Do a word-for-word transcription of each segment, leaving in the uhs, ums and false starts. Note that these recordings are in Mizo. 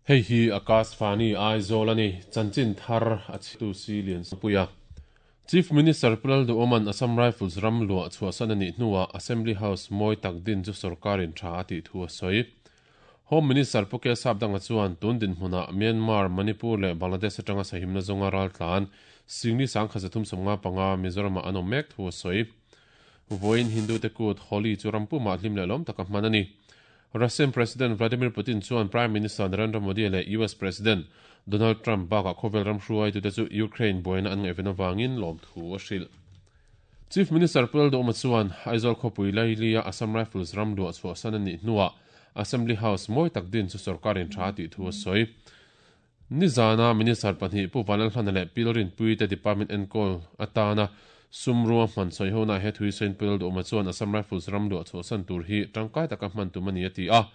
Hei hi Akashvani Aizawl a ni, chanchin thar a chhitu si lian puia. Chief Minister Pu Lalduhoma'n Assam Rifles ram luah chhuahsan a nih hnuah Assembly House mawi tak din chu sorkarin tha a tih thu a sawi. Home Minister Pu K Sapdanga chuan tun dinhmunah Myanmar, Manipur leh Bangladesh atanga sahimna zawnga raltlan Singli sangkhat zathum sawmnga panga Mizoramah an awm mek thu a sawi. Vawiin Hindu te kut Holi chu rampumah hlim leh lawm taka hman a ni. Russian President Vladimir Putin chuan Prime Minister Narendra Modi leh U S President Donald Trump bakah khawvel ram hruaitute chu Ukraine buaina an ngaihven avangin lawm thu a hrilh. Chief Minister Pu Lalduhoma chuan Aizawl khawpui Lailia Assam Rifles ram luah chhuahsan a nih hnuah Assembly House mawi tak din chu sorkarin tha tih thu a sawi. Nizana Minister pahnih Pu Vanlalhlana leh Pi Lalrinpui te Department enkawl atana sumrua hman sawi hona he thui sawiin Pu Lalduhoma chuan Assam Rifles ram luah chhuahsan tur hi tangkai taka hman tum a ni a ti a.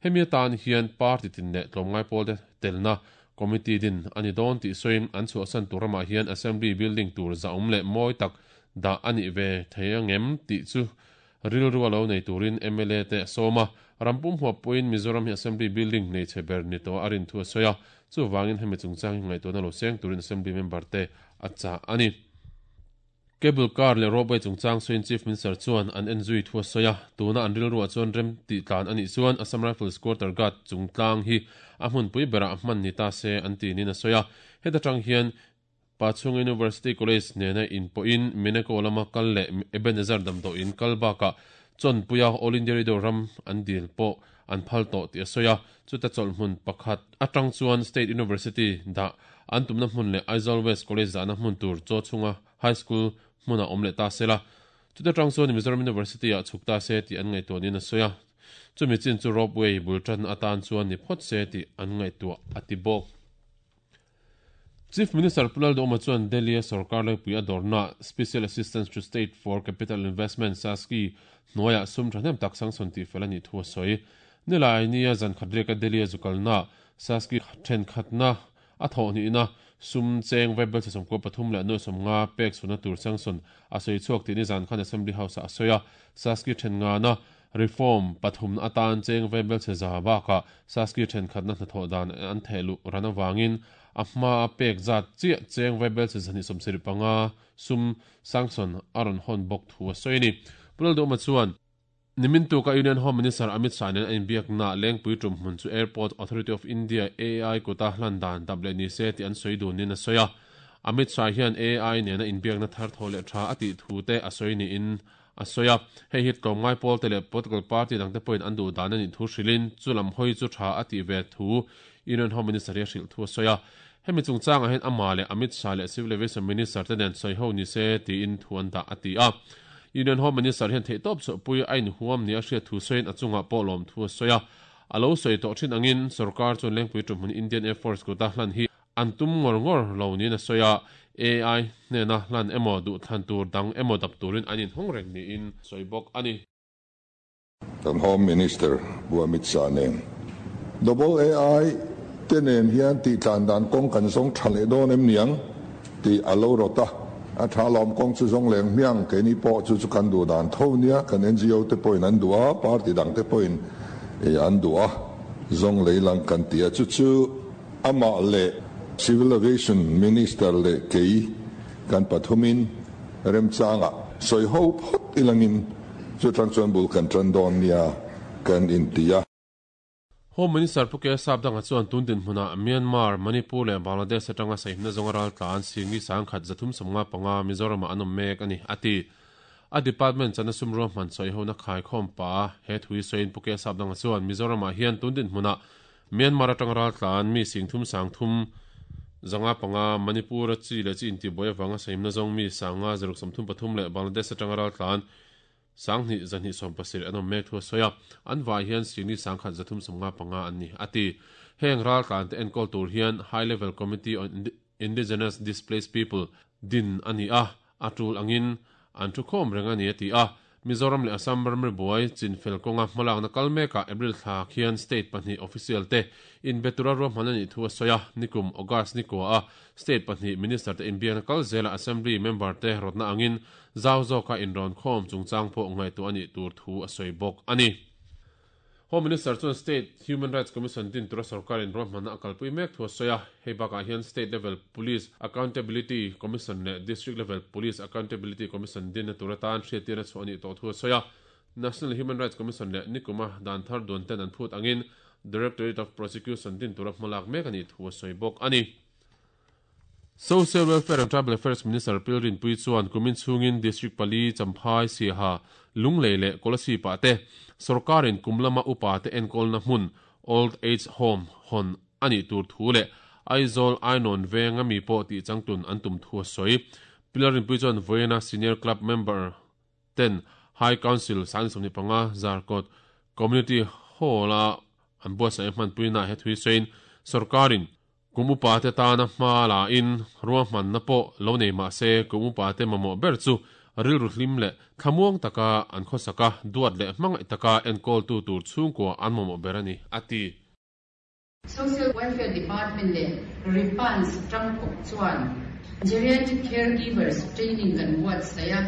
Hemi atan hian party tin leh tlawmngai pawl te telna committee din ani dawn tih sawiin an chhuahsan tur ramah hian Assembly building tur zaum leh mawi tak dah ani ve thei angem tih chu rilru a lo nei turin M L A te a sawm a. Rampum huapuiin Mizoram hi Assembly building nei chhe ber ni tawh a rin thu a sawi a. Chuwangin hemi chungchang hi ngaihtuahna lo seng turin Assembly member te a chah a ni. Cable car leh ropeway chungchang sawiin Chief Minister chuan an en zui thu a sawi a. Tuna an rilruah chuan rem tih tlan anih chuan Assam Rifles Quarter Guard chungtlang hi a hmunpui berah a hman ni ta se an ti nin a sawi a. Heta tang hian Pachhung University College nena in pawhin Meneko lama kal leh Ebenezer damdawiin kal bakah chawnpuia All India Radio ram an dil pawh an phal tawh tih a sawi a. Chuta chawlhmun pakhat atang chuan State University dah an tumna hmun leh Aizawl West College dahna hmun tur chaw chhunga High School hmunah awm leh ta sela. Chuta tang chuan Mizoram University ah chhuk ta se tih an ngaihtuah nin a sawi a. Chumi chin chu ropeway bul tan atan chuan ni phawt se tih an ngaihtuah a ti bawk. Chief Minister Pu Lalduhoma chuan Delhi a sarkar laipui a dawrna Special Assistance to State for Capital Investment SASCI hnuaiah sum thahnem tak sanction tih fel a nih thu a sawi. Nilai nia zan khat riaka Delhi a zukalna SASCI thenkhatna a thawh hnihna sum cheng vaibel che sawmkua pathum leh nuai sawmnga pek chhuna tur sanction a sawi chhuak tih ni zan khan Assembly House a sawi a. SASCI thennga na reform pathum atan cheng vaibel che za bakah SASCI thenkhatna hnathawh dan an thehluh ran awangin a hma a pek zat chiah cheng vaibel che zani sawmsarih panga sum sanction a rawn hawn bawk thu a sawi ni. Pu Lalduhoma chuan nimin tuka Union Home Minister Amit Shah nen a inbiakna lengpui tum hmun chu Airport Authority of India A I kuta hlan dan dap leh ni se tih an sawi dun nin a sawi a. Amit Shah hian A I nena inbiakna thar tho leh tha a tih thu te a sawi niin a sawi a. Hei hi tlawmngai pawl te leh political party dang te pawhin an duh dan anih thu hrilhin chu lam hawi chu tha a tih ve thu Union Home Minister hi a hrilh thu a sawi a. Hemi chungchangah hian ama leh Amit Shah leh Civil Aviation Minister te nen sawi ho ni se tiin thu an dah a ti a. Union Home Minister hian theihtawp chawhpui a inhuam ni a hriat thu sawiin a chungah pawh lawm thu a sawi a. A lo sawi tawh thin angin sarkar chuan lengpui tum hmun Indian Air Force kuta hlan hi an tum ngawr ngawr lo niin a sawi a. A I hnena hlan emaw duh thlan tur dang emaw dap turin an inhawng reng niin sawi bawk a ni. Kan Home Minister Pu Amit Shah nen Double A I te nen hian tih tlan dan kawng kan zawng tha leh dawn em niang tih a lo rawt a. A tha lawm kawng chu zawng leng hmiang keini pawh chu chu kan duh dan tho nia kan N G O te pawhin an duh a, party dang te pawhin an duh a, zawng leilang kan ti a. Chu chu amah leh Civil Aviation Minister leh kei kan pathumin remchangah sawi ho phawt ilangin chu tang chuan bul kan tan dawn nia kan inti a. Home Minister Pu K Sapdanga chuan tun dinhmunah Myanmar, Manipur leh Bangladesh atanga sahimna zawnga raltlan Singli sangkhat zathum sawmnga panga Mizoramah an awm mek a ni a ti. A department chana sumruah hman sawi hona khai khawm pa he thui sawiin Pu K Sapdanga chuan Mizoramah hian tun dinhmunah Myanmar atanga raltlan mi singthum sangthum zanga panga Manipur a chi leh chi intibuai awanga sahimna zawng mi sanga zaruk sawmthum pathum leh Bangladesh atanga raltlan sanghnih zahnih sawm pasarih an awm mek thu a sawi a. An vai hian Singli sangkhat zathum sawmnga panga an ni a ti. Heng raltlan te enkawl tur hian High Level Committee on Indigenous Displaced People din a ni a. A tul angin an thu khawm reng a ni a ti a. Mizoram leh Assam ramri buai chinfel kawnga hmalakna kal mekah April thla khian state pahnih official te inbetura ruahman a nih thu a sawi a. Nikum August ni kua a state pahnih minister te inbiakna kal zela assembly member te rawtna angin zau zawka inrawn khawm chungchang pawh ngaihtuah a nih tur thu a sawi bawk a ni. Home Minister chuan State Human Rights Commission din tura sarkarin ruahmanna a kalpui mek thu a sawi a, hei bakah hian State Level Police Accountability Commission leh District Level Police Accountability Commission dinna tur atan hriattirna chhuah a nih tawh thu a sawi a. National Human Rights Commission leh nikuma dan thar duan ten an phut angin Directorate of Prosecution din tura hmalak mek a nih thu a sawi bawk a ni. Social Welfare and Tribal Affairs Minister Pi Rinpuii chuan kumin chhungin District pali, Champhai, Siaha, Lunglei leh Kolasib-ah te sorkarin kum lama upa te enkawlna hmun Old Age Home hawn a nih tur thu leh Aizawl Ainawn venga mi pawh tih changtlun an tum thu a sawi. Pi Rinpuii chuan vawiina Senior Club member ten High Council sang sawmhnih panga Zarkawt Community Hall-a an buatsaih hmanpuinaah he thui sawiin sorkarin kum upa te tana hma la in ruahmanna pawh lo nei mah se kum upa te mamawh ber chu rilru hlim leh thlamuang taka an khawsak a, duat leh hmangaih taka enkawltu tur chhungkua an mamawh ber a ni, a ti. Social Welfare Department leh RIPANS tangkawp chuan Geriatric Caregivers Training kan buatsaih a,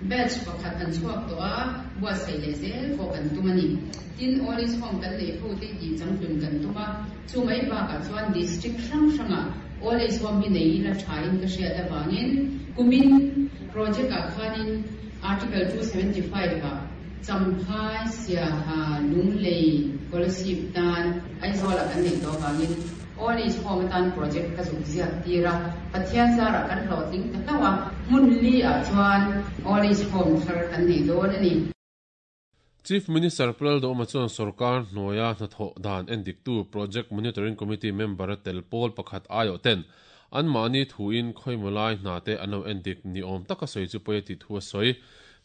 batch pakhat an chhuak tawh a, buatsaih leh zel pawh kan tum a ni. Tin, Old Age Home kan neih ho te tih changtlun kan tum a, chu mai bakah chuan District hrang hrangah Old Age Home hi nei ila thain ka hriat avangin kumin project ah khanin Article two seventy five ah Champhai, Siaha, Lunglei, Kolasib tan Aizawlah kan neih tawh avangin Old Age Home atan project ka zuk ziak tir a, Pathian zarah kan hlawhtling ta hlauh a, hmun li ah chuan Old Age Home thar kan nei dawn a ni. Chief Minister Pu Lalduhoma chuan sorkar hnuaia hnathawh dan endiktu Project Monitoring Committee member a tel pawl pakhat aiawh ten anmahni thuin khawimaw lai hna te an lo endik ni awm taka sawi chu pawi a tih thu a sawi.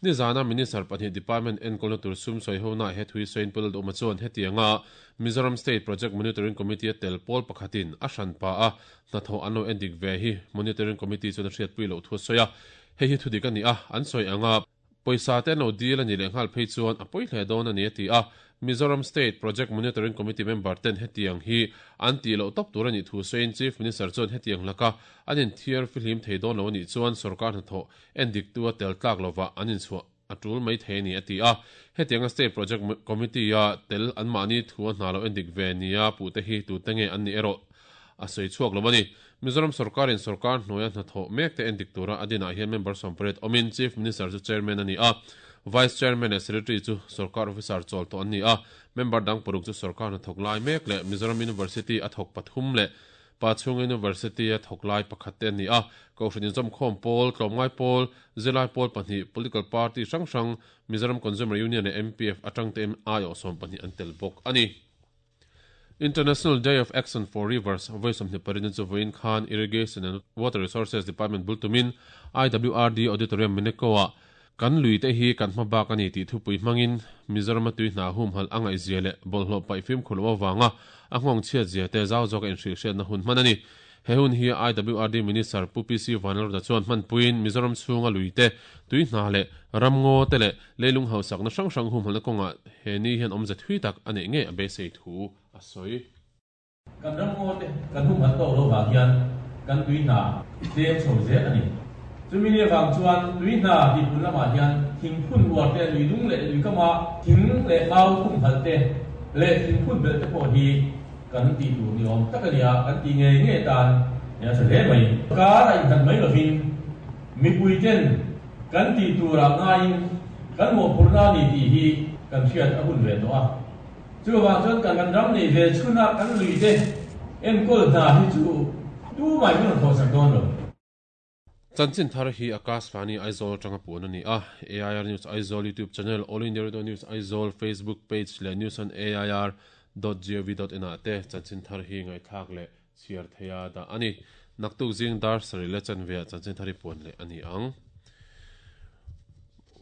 Nizana Minister pahnih Department enkawlna tur sum sawi ho naah he thui sawiin Pu Lalduhoma chuan hetianga Mizoram State Project Monitoring Committee a tel pawl pakhatin a hranpa a hnathawh an lo endik ve hi Monitoring Committee chuan a hriatpui loh thu a sawi a, hei hi thudik a ni a, an sawi anga pawisa te an lo dil a nih leh nghal phei chuan a pawi hle dawn a ni a ti a, Mizoram State Project Monitoring Committee member ten hetiang hi an tih loh tawp tur a nih thu sawiin Chief Minister chuan hetiang laka an inthiar fihlim thei dawn lo a nih chuan sorkar hnathawh endiktu a tel tlak lovah an inchhuah a tul mai thei a ni a ti a, hetianga State Project Committee a tel anmahni thu a hna lo endik ve nia puhte hi tute nge an nih erawh a sawi chhuak lo a ni. Mizoram sorkarin sorkar hnuaia hnathawh mek te endik tura a dinah hian member sawmpariat awmin Chief Minister chu Chairman a ni a, Vice Chairman leh Secretary chu sorkar officer chawl tawh an ni a, member dang paruk chu sorkar hnathawk lai mek leh Mizoram University a thawk pathum leh Pachhung University a thawk lai pakhat te an ni a, Kohhran inzawmkhawm pawl, tlawmngai pawl, zirlai pawl pahnih, political party hrang hrang, Mizoram Consumer Union leh M P F atang te aiawh sawm pahnih an tel bawk a ni. International Day of Action for Rivers vawi sawmhnih pariat chu vawiin khan Irrigation and Water Resources Department bul tumin I W R D Auditorium Meneko-ah kan lui te hi kan hma bak a ni tih thupui hmangin Mizoram-a tui hna humhalh a ngaihzia leh bawlhhlawh paih fimkhur loh avanga a nghawng chhiatzia te zau zawka inhrilhhriatna hun hman a ni. He hun hi I W R D Minister Pu P C Vanlalruta chuan hmanpuiin Mizoram chhunga lui te, tui hna leh ramngaw te leh leilung hausakna hrang hrang humhalhna kawngah he ni hian awmze thui tak a neih ngei a beisei thu a sawi. Kan ramngaw te kan humhalh tawk lo vang hian kan tui hna tlem chho zel a ni. Chumi ni avang chuan tui hna tihpun lamah hian thingphun uar te, lui dung leh lui kama thing leh mau humhalh te leh thingphun belh te pawh hi kan tih tur ni awm tak a ni a, kan tih ngei ngei tan a tha hle mai. Kar a innghat mai lovin mipuiten kan tih turah ngaiin kan mawhphurhna a ni tih hi kan hriat a hun ve tawh a. Chuvang chuan kan kan ram nei ve chhuna kan lui te enkawl hna hi chu tu mai min rawn thawhsak dawn lo. Chanchin thar hi Akashvani Aizawl atanga puan a ni a, A I R News Aizawl YouTube channel, All India Radio News Aizawl Facebook page leh News on A I R dot gov dot in ah te chanchin thar hi ngaihthlak leh chhiar theia dah a ni. Naktuk zing dar sarih leh chanveah chanchin thar hi puan leh a ni ang.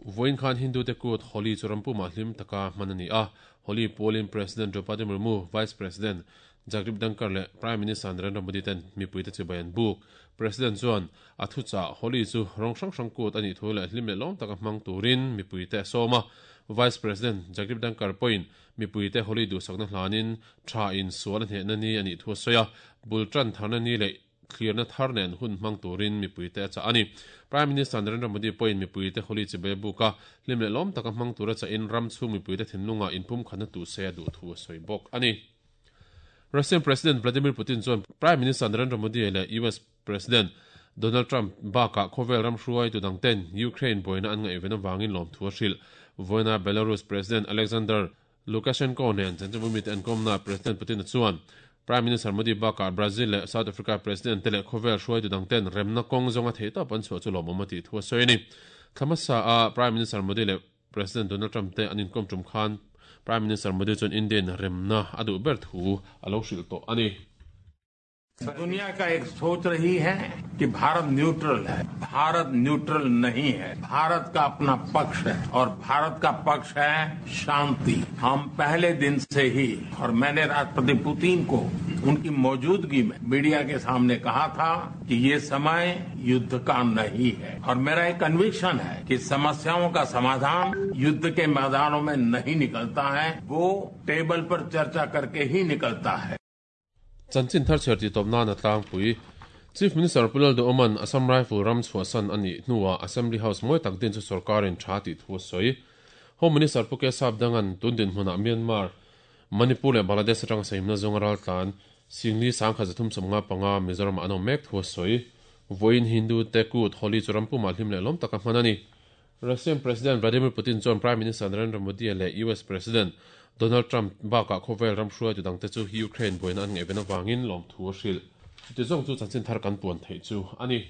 Vawiin khan Hindu te kut Holi chu rampumah hlim taka hman a ni a, Holi pualin President Draupadi Murmu, Vice President Jagdeep Dhankhar leh Prime Minister Narendra Modi ten mipui te chibai an buk. President chuan a thuchah Holi chu rawng hrang hrang kut a nih thu leh hlim leh lawm taka hmang turin mipui te a sawm a. Vice President Jagdeep Dhankhar pawhin mipui te Holi duhsakna hlanin tha in sual a hnehna ni a nih thu a sawi a, bul tan tharna ni leh thlirna thar nen hun hmang turin mipuite a chah a ni. Prime Minister Narendra Modi pawhin mipuite Holi chibai a buk a, hlim leh lawm taka hmang tura chahin ram chhung mipuite thinlungah inpumkhatna tuh se a duh thu a sawi bawk a ni. Russian President Vladimir Putin chuan Prime Minister Narendra Modi leh U S President Donald Trump bakah khawvel ram hruaitu dangten Ukraine buaina an ngaihven avangin lawmthu a hrilh. Vawiina Belarus President Alexander Lukashenko nen chanchinbu mite an kawmna President Putin chuan Prime Minister Modi bakah Brazil leh South Africa President te leh khawvel hruaitu dangten remna kawng zawnga theihtawp an chhuah chu lawmawm a tih thu a sawi a ni. Thla hmasa a Prime Minister Modi leh President Donald Trump te an inkawm tum khan Prime Minister Modi chuan Indian remna a duh ber thu a lo hrilh tawh a ni. दुनिया का एक सोच रही है कि भारत neutral है। भारत न्यूट्रल नहीं है। भारत का अपना पक्ष है और भारत का पक्ष है शांति। हम पहले दिन से ही, और मैंने राष्ट्रपति पुतिन को उनकी मौजूदगी में मीडिया के सामने कहा था कि ये समय युद्ध का नहीं है और मेरा एक कन्विक्शन है कि समस्याओं का समाधान युद्ध के मैदानों में नहीं निकलता है, वो टेबल पर चर्चा करके ही निकलता है। Chanchin thar chhiar tih tawp nan a tlangpui. Chief Minister Pu Lalduhoma'n Assam Rifle ram chhuahsan a nih hnuah Assembly House mawi tak din chu sorkarin tha tih thu a sawi. Home Minister Pu Kesap Danga'n tun dinhmunah Myanmar, Manipur leh Bangladesh atanga sahimna zawnga raltlan Singli sangkhat zathum sawmnga panga Mizoramah an awm mek thu a sawi. Vawiin Hindu te kut Holi chu rampumah hlim leh lawm taka hman a ni. Russian President Vladimir Putin chuan Prime Minister Narendra Modi leh U S President Donald Trump bakah khawvel ram hruaitu dangte chu Ukraine buaina an ngaihven avangin lawmthu a hrilh. Chutizawng chu chanchin thar kan puan theih chu a ni.